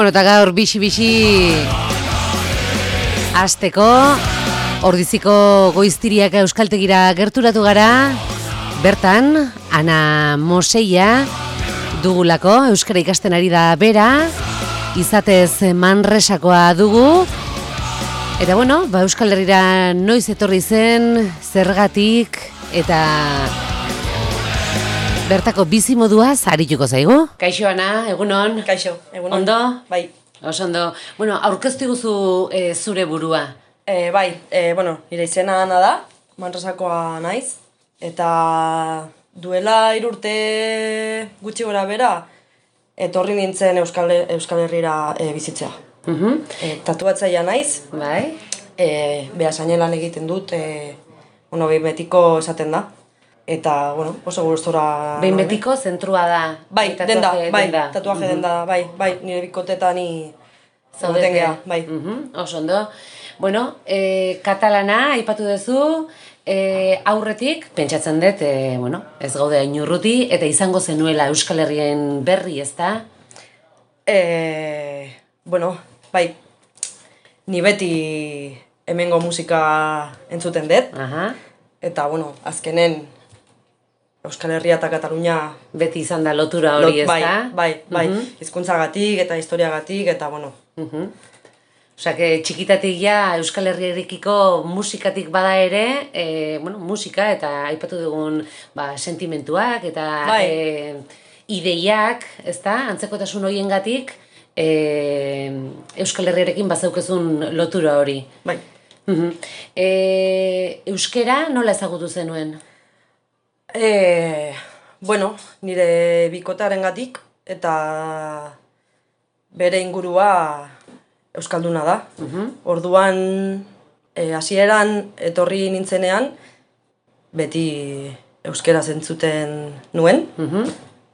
Bueno, eta gaur bixi hasteko Ordiziko Goiztiriak euskaltegira gerturatu gara. Bertan, Ana Moseia dugulako, euskara ikasten ari da bera, izatez Manresakoa dugu. Eta bueno, Euskal Herrira noiz etorri zen, zergatik, eta bertako bizimoduaz arituko zaigu. Kaixo, Ana, egunon? Kaixo, egunon. Ondo? Bai. Oso ondo. Bueno, aurkeztu guzu zure burua. Nire izena Ana da, Manresakoa naiz, eta duela 3 urte gutxi gora bera, etorri nintzen Euskal Herrira bizitzea. Tatuatzailea naiz, Bai. Beasainen egiten dut, behin betiko esaten da. Eta, oso gustora... Behin betiko zentrua da. Bai, tatuaje denda, bai, nire bikotetan ni zaudeten geha, bai. Oso ondo. Bueno, katalana aipatu duzu, aurretik, pentsatzen dut, ez gaude hain urruti, eta izango zenuela Euskal Herrien berri, ez da? Bai, ni beti hemengo musika entzuten dut, eta, azkenen Euskal Herria eta Katalunia beti izan da lotura hori, ez da? Bai, hizkuntzagatik eta historiagatik, eta, Osa, txikitatik ja Euskal Herriarekiko musikatik bada ere, musika eta aipatu dugun sentimentuak eta ideiak, ez da, antzekotasun horiengatik Euskal Herriarekin bazaukezun lotura hori. Bai. Euskera nola ezagutu zenuen? Nire bikotearengatik eta bere ingurua euskalduna da. Orduan, hasieran etorri nintzenean, beti euskera zentzuten nuen.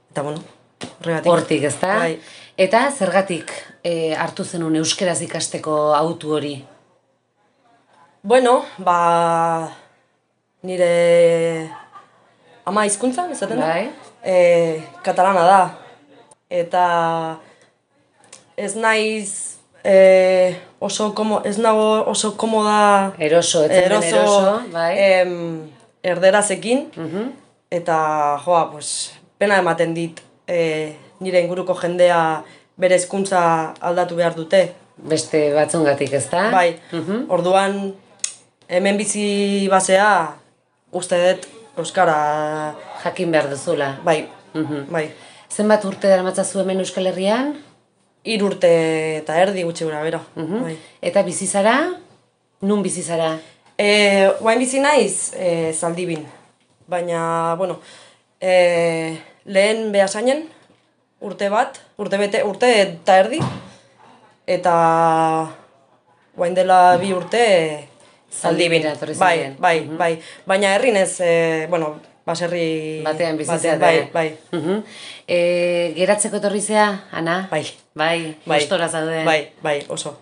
Eta, horregatik. Hortik, ez da? Bai. Eta zergatik hartu zenuen euskeraz ikasteko autu hori? Nire ama hizkuntza, esaten da? Bai. Katalana da. Eta ez naiz oso komoda... Eroso, bai. Erderazekin. Eta, pena ematen dit nire inguruko jendea bere hizkuntza aldatu behar dute. Beste batzungatik, ez da? Bai, orduan hemen bizi basea uste dut euskara... Jakin behar duzula. Bai. Zenbat urte daramatzazu hemen Euskal Herrian? 3 urte eta erdi gutxi gura bera. Eta bizizara? Nun bizizara? Oain bizi naiz Zaldibin. Baina, lehen Beasainen urte eta erdi. Eta oain dela 2 urte Zaldibin. Bai. Baina herrin ez, baserri... Batean bizitzea. Bai. Geratzeko etorri zea, Ana? Bai. Gustora zaude? Bai, oso.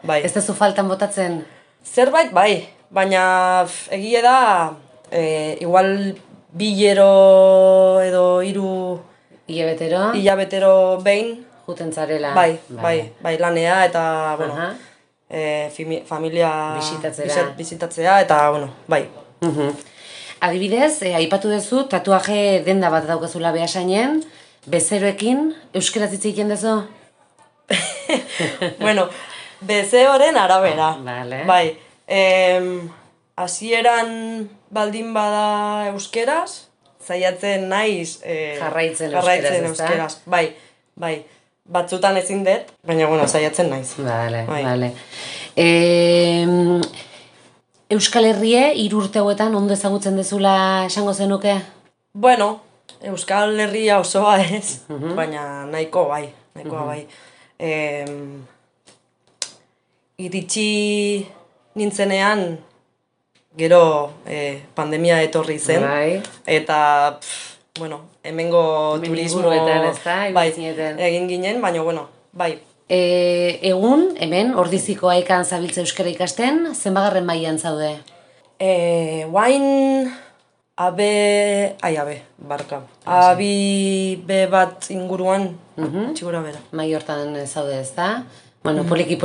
Bai. Ez duzu faltan botatzen? Zerbait, bai. Baina egie da, igual 2 edo 3 hilabetero behin. Juten zarela. Bai, lanea eta, familia bizitatzea eta, bai. Adibidez, aipatu duzu, tatuaje denda bat daukazula Beasainen, bezeroekin, euskaraz hitz egiten duzu? Bezeroren arabera. Vale. Bai. Hasieran baldin bada euskeraz, zaiatzen naiz jarraitzen euskeraz. Bai. Batzutan ezin dut, baina zaiatzen naiz. Vale. Euskal Herrie 3 urte hauetan ondo ezagutzen dezula esango zenuke? Euskal Herria osoa ez, baina nahikoa bai. Iritsi nintzenean, gero pandemia etorri zen, eta, hemengo turismo egin ginen, baina, bai. Egun, hemen, Ordiziko Aikan zabiltza euskara ikasten, zenbagarren mailan zaude? Guain barka. Abi be bat inguruan, txigura bera. Mai hortan zaude ez da? Bueno, poliki,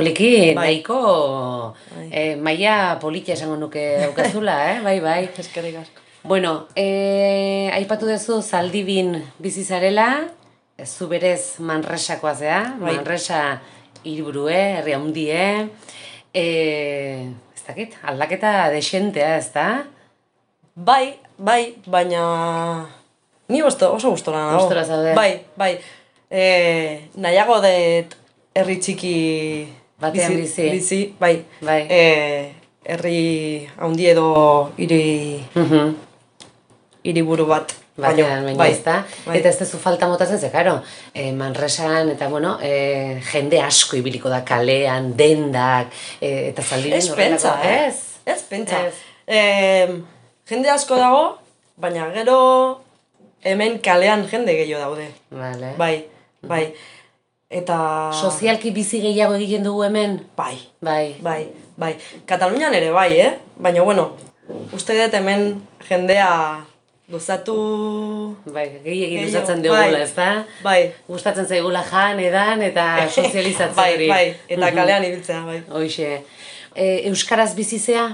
nahiko maila politia esango nuke aukazula, bai. Eskerrik asko. Bueno, aipatu duzu Zaldibin bizi zarela, zu berez Manresakoa zea, Manresa hiriburue, herri handie, ez dakit, aldaketa desentea, ez da? Bai, baina ni oso gustora nago. Gustora zaude. Bai. Nahiago dut herri txiki batean bizi, bai. Herri handi edo hiriburu bat. Batean, ez da? Eta ez dezu falta motatzen ze, karo, Manresan, eta bueno, jende asko ibiliko da kalean, dendak, eta Zaldibin horrelako. Ez pentsa. Jende asko dago, baina gero hemen kalean jende gehiago daude. Vale. Bai. Eta... Sozialki bizi gehiago egiten dugu hemen? Bai. Katalunian ere bai, Baina, bueno, uste dut hemen jendea gozatu... Bai, gehiagin gustatzen dugula, ez da? Bai. Gustatzen zaigula jan, edan, eta sozializatzen hori. Bai, eta kalean ibiltzea, bai. Hoxe. Euskaraz bizizea?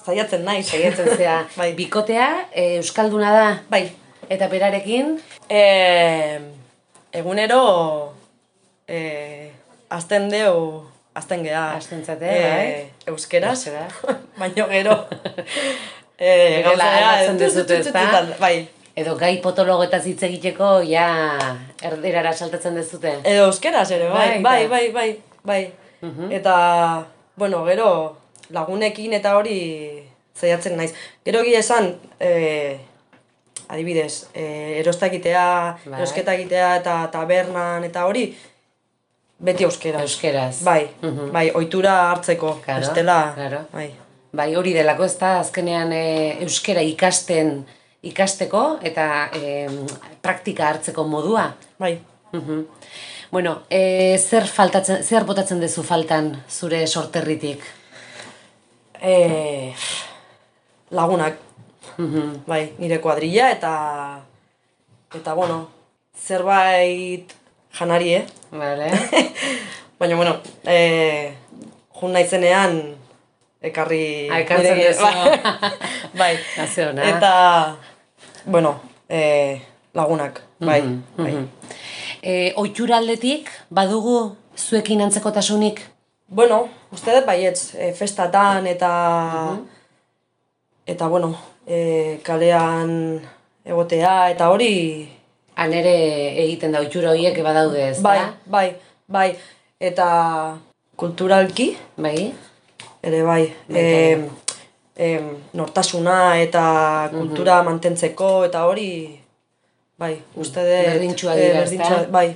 Zaiatzen nahi. Zaiatzen zea. Bai. Bikotea, euskalduna da? Bai. Eta berarekin? Egunero azten gea. Azten zate, bai. Euskeraz. Baina gero. Gauzea dezute, ez da? Bai. Edo gai potologoetaz hitz egiteko, ja, erderara saltatzen dezute. Edo euskeraz ere, bai. Eta, bueno, gero lagunekin eta hori zaiatzen naiz. Gero egia esan, adibidez, erosketa egitea eta tabernan eta hori, beti euskeraz. Euskeraz. Bai, ohitura hartzeko. Bestela, bai. Bai, hori delako ez da, azkenean euskera ikasteko eta praktika hartzeko modua. Bai. Bueno, zer botatzen dezu faltan zure sorterritik? Lagunak. Bai, nire kuadrilla eta bueno, zerbait janari, Vale. Baina, bueno, jun naizenean ekarri... Ekartzen dezu. Bai. Naziona. Eta, bueno, lagunak, bai. Ohitura aldetik, badugu zuekin antzekotasunik? Bueno, uste dut baietz, festatan eta... Eta, bueno, kalean egotea eta hori... Han ere egiten da ohitura horiek badaude, ez da? Bai. Eta kulturalki... Bai. Ere bai, nortasuna eta kultura mantentzeko eta hori, bai, uste dut... Berdintxua dira, ez da? Bai.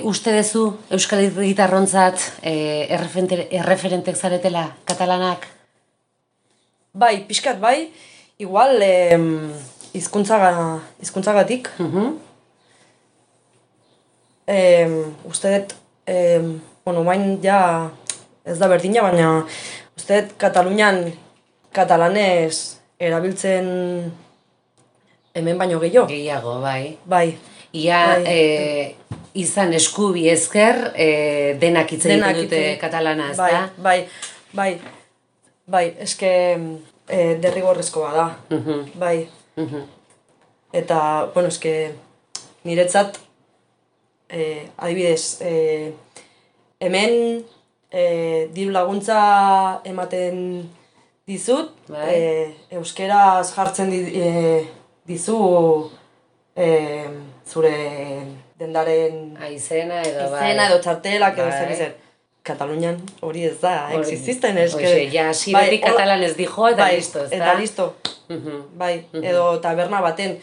Uste dezu Euskal Herritarrontzat erreferentek zaretela katalanak? Bai, pixkat bai, igual hizkuntzagatik. Uste dut, bueno, bain ja... Ez da berdina, baina uste Katalunian katalanez erabiltzen hemen baino gehiago. Gehiago, bai. Bai. Ia izan eskubi ezker denak hitz egiten dute katalana, ez da? Bai, eske derrigorrezkoa da. Bai. Eta, bueno, eske niretzat adibidez hemen diru laguntza ematen dizut, euskeraz jartzen dizu zure dendaren izena edo txartelak edo zer. Katalunian hori ez da, exististen. Ja, beti katalanez dijo eta listo, ez da? Eta listo, bai, edo taberna baten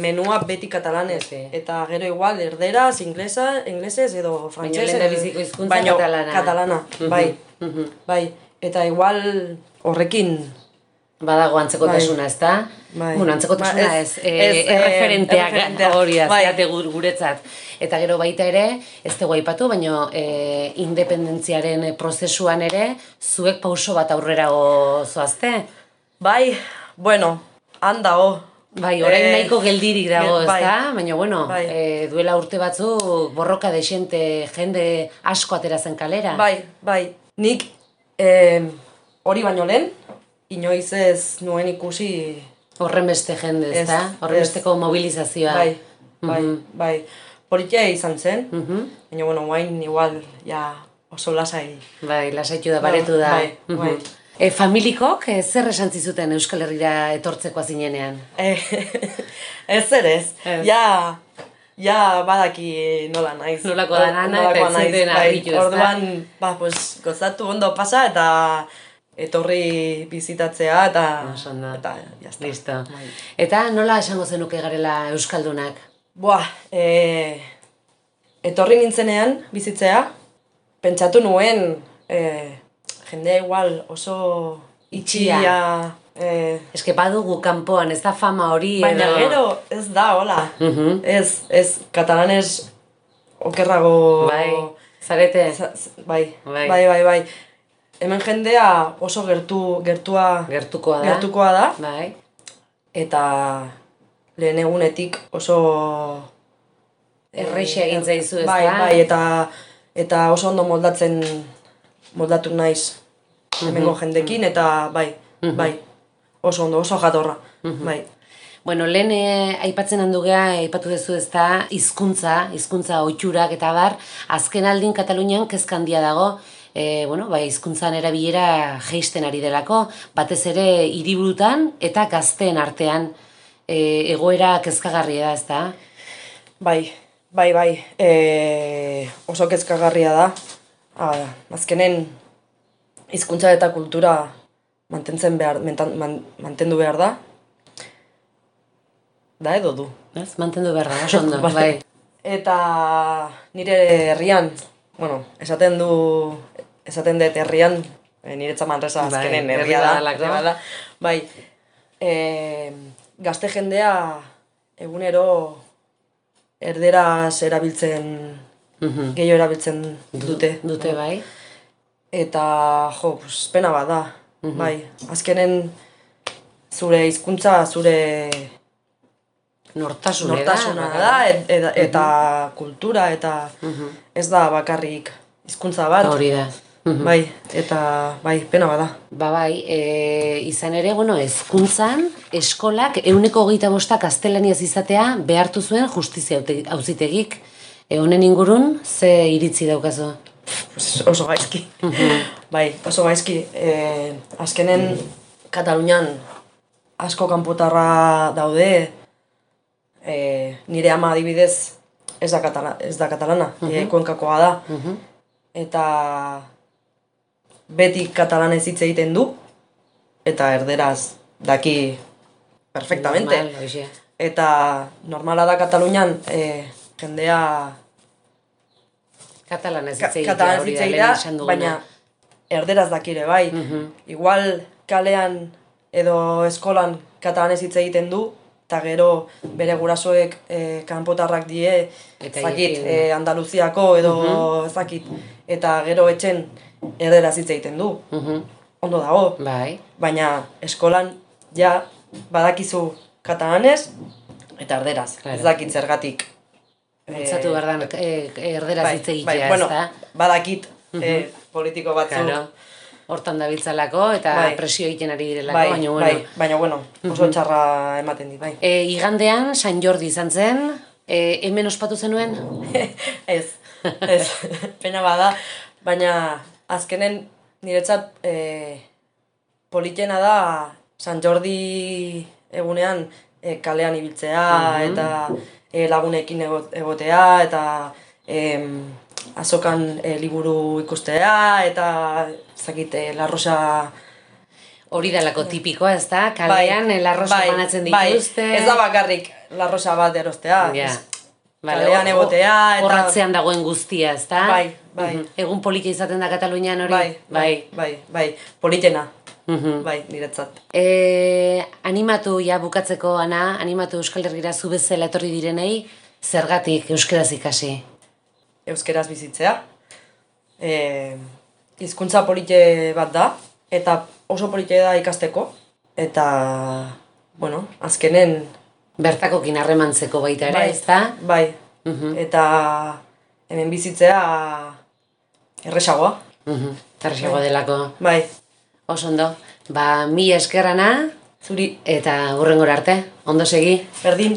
menua beti katalanez, eta gero igual erderaz, inglesez edo frantsesez, baina biziko hizkuntza katalana, bai, eta igual horrekin badago antzekotasuna, ez da? Bueno, antzekotasuna ez, erreferenteak hori azteate guretzat. Eta gero baita ere, ez dugu aipatu, baina independentziaren prozesuan ere, zuek pauso bat aurrerago zoazte? Bai, bueno, han dago. Bai, orain nahiko geldirik dago, bai. ezta? Baina, bueno, Bai. duela urte batzuk borroka desente jende asko atera zen kalera. Bai. Nik hori baino lehen, inoiz ez nuen ikusi... Horren beste jende, ezta? Horren besteko mobilizazioa. Bai. Politia izan zen, baina, bueno, guain igual, ja, oso lasai. Bai, lasaitu da, baretu da. Bai. Familikok zer esan zizuten Euskal Herrira etortzeko zinenean? Ez ere ez. Ja badaki nola naiz. Nolako da nana eta ez zuten argitu, ezta? Orduan, pues, gozatu ondo pasa eta etorri bizitatzea eta jazta. Listo. Eta nola esango zenuke garela Euskaldunak? Etorri nintzenean bizitzea, pentsatu nuen jendea igual oso itxia. Eske badugu kanpoan, ez da fama hori baina gero ez da, hola. Ez, katalanez okerrago... Bai, zarete? Bai. Hemen jendea oso gertukoa da. Bai. Eta lehen egunetik oso... Erreixe egin zaizu, ez da? Bai, eta oso ondo moldatu naiz hemengo jendekin, eta bai, oso ondo, oso jatorra, bai. Bueno, lehen aipatzen handugea, aipatu duzu ez da, hizkuntza ohiturak eta bar, azken aldin Katalunian kezka handia dago, hizkuntzan erabilera jeisten ari delako, batez ere hiriburutan eta gazteen artean egoera kezkagarria da, ez da? Bai, oso kezkagarria da. Azkenen hizkuntza eta kultura mantendu behar da. Da edo du. Mantendu behar da, oso ondo, bai. Eta nire herrian, esaten dut herrian, niretza Manresa azkenen herria da. Bai, gazte jendea egunero erderaz erabiltzen, gehiago erabiltzen dute. Dute, bai. Eta, pena bat da. Bai, azkenen zure hizkuntza, zure nortasuna da, eta kultura, eta ez da bakarrik hizkuntza bat. Hori da. Bai, eta pena bat da. Bai, izan ere, hezkuntzan, eskolak 125 gaztelaniaz izatea behartu zuen justizia auzitegik. Honen ingurun, ze iritzi daukazu? Oso gaizki. Bai, oso gaizki. Azkenen Katalunian asko kanpotarra daude, nire ama adibidez ez da katalana, Kuenkakoa da. Eta beti katalanez hitz egiten du, eta erderaz daki perfectamente. Eta normala da Katalunian jendea katalanez hitz egitea, baina erderaz dakire, bai. Igual kalean edo eskolan katalanez hitz egiten du, eta gero bere gurasoek kanpotarrak die, Andaluziako edo ezakit, eta gero etxen erderaz hitz egiten du. Ondo dago, baina eskolan ja badakizu katalanez eta erderaz, ez dakit zergatik. Bultzatu behar da erderaz hitz egitea, ez da? Badakit politiko batzu. Hortan dabiltzalako eta presio egiten ari direlako, baina oso txarra ematen dit, bai. Igandean, San Jordi izan zen, hemen ospatu zenuen? Ez, pena bada, baina azkenen niretzat politena da San Jordi egunean kalean ibiltzea eta lagunekin egotea eta azokan liburu ikustea eta La Rosa... Hori dalako tipikoa, ez da? Kalean La Rosa banatzen dituzte. Ez da bakarrik La Rosa bat erostea. Kalean egotea eta... Horratzean dagoen guztia, ez da? Bai. Egun polita izaten da Katalunian hori? Bai. Politena. Bai, niretzat. Animatu, bukatzeko, Ana, animatu Euskal Herrira zu bezala etorri direnei, zergatik euskeraz ikasi? Euskeraz bizitzea. Hizkuntza polite bat da, eta oso polite da ikasteko, eta bueno, azkenen... Bertakokin harremantzeko baita ere, ez da? Bai, eta hemen bizitzea erresagoa. Erresagoa delako. Bai. Oso ondo, mila eskerrana, zuri, eta hurrengora arte, ondo segi. Berdin.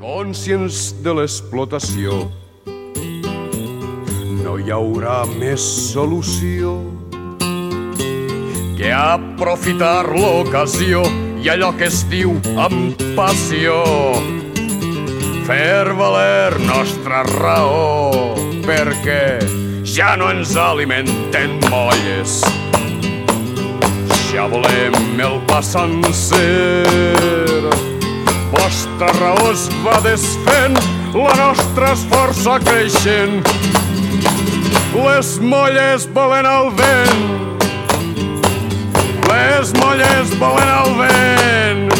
Conscients de l'explotació, no hi haurà més solució que aprofitar l'ocasió i allò que es diu amb passió. Fer valer nostra raó, perquè ja no ens alimenten molles. Ja volem el pa sencer. Vostra raó es va desfent, la nostra és força creixent. Les molles volen el vent. Les molles volen el vent.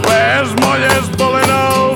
Les molles volen el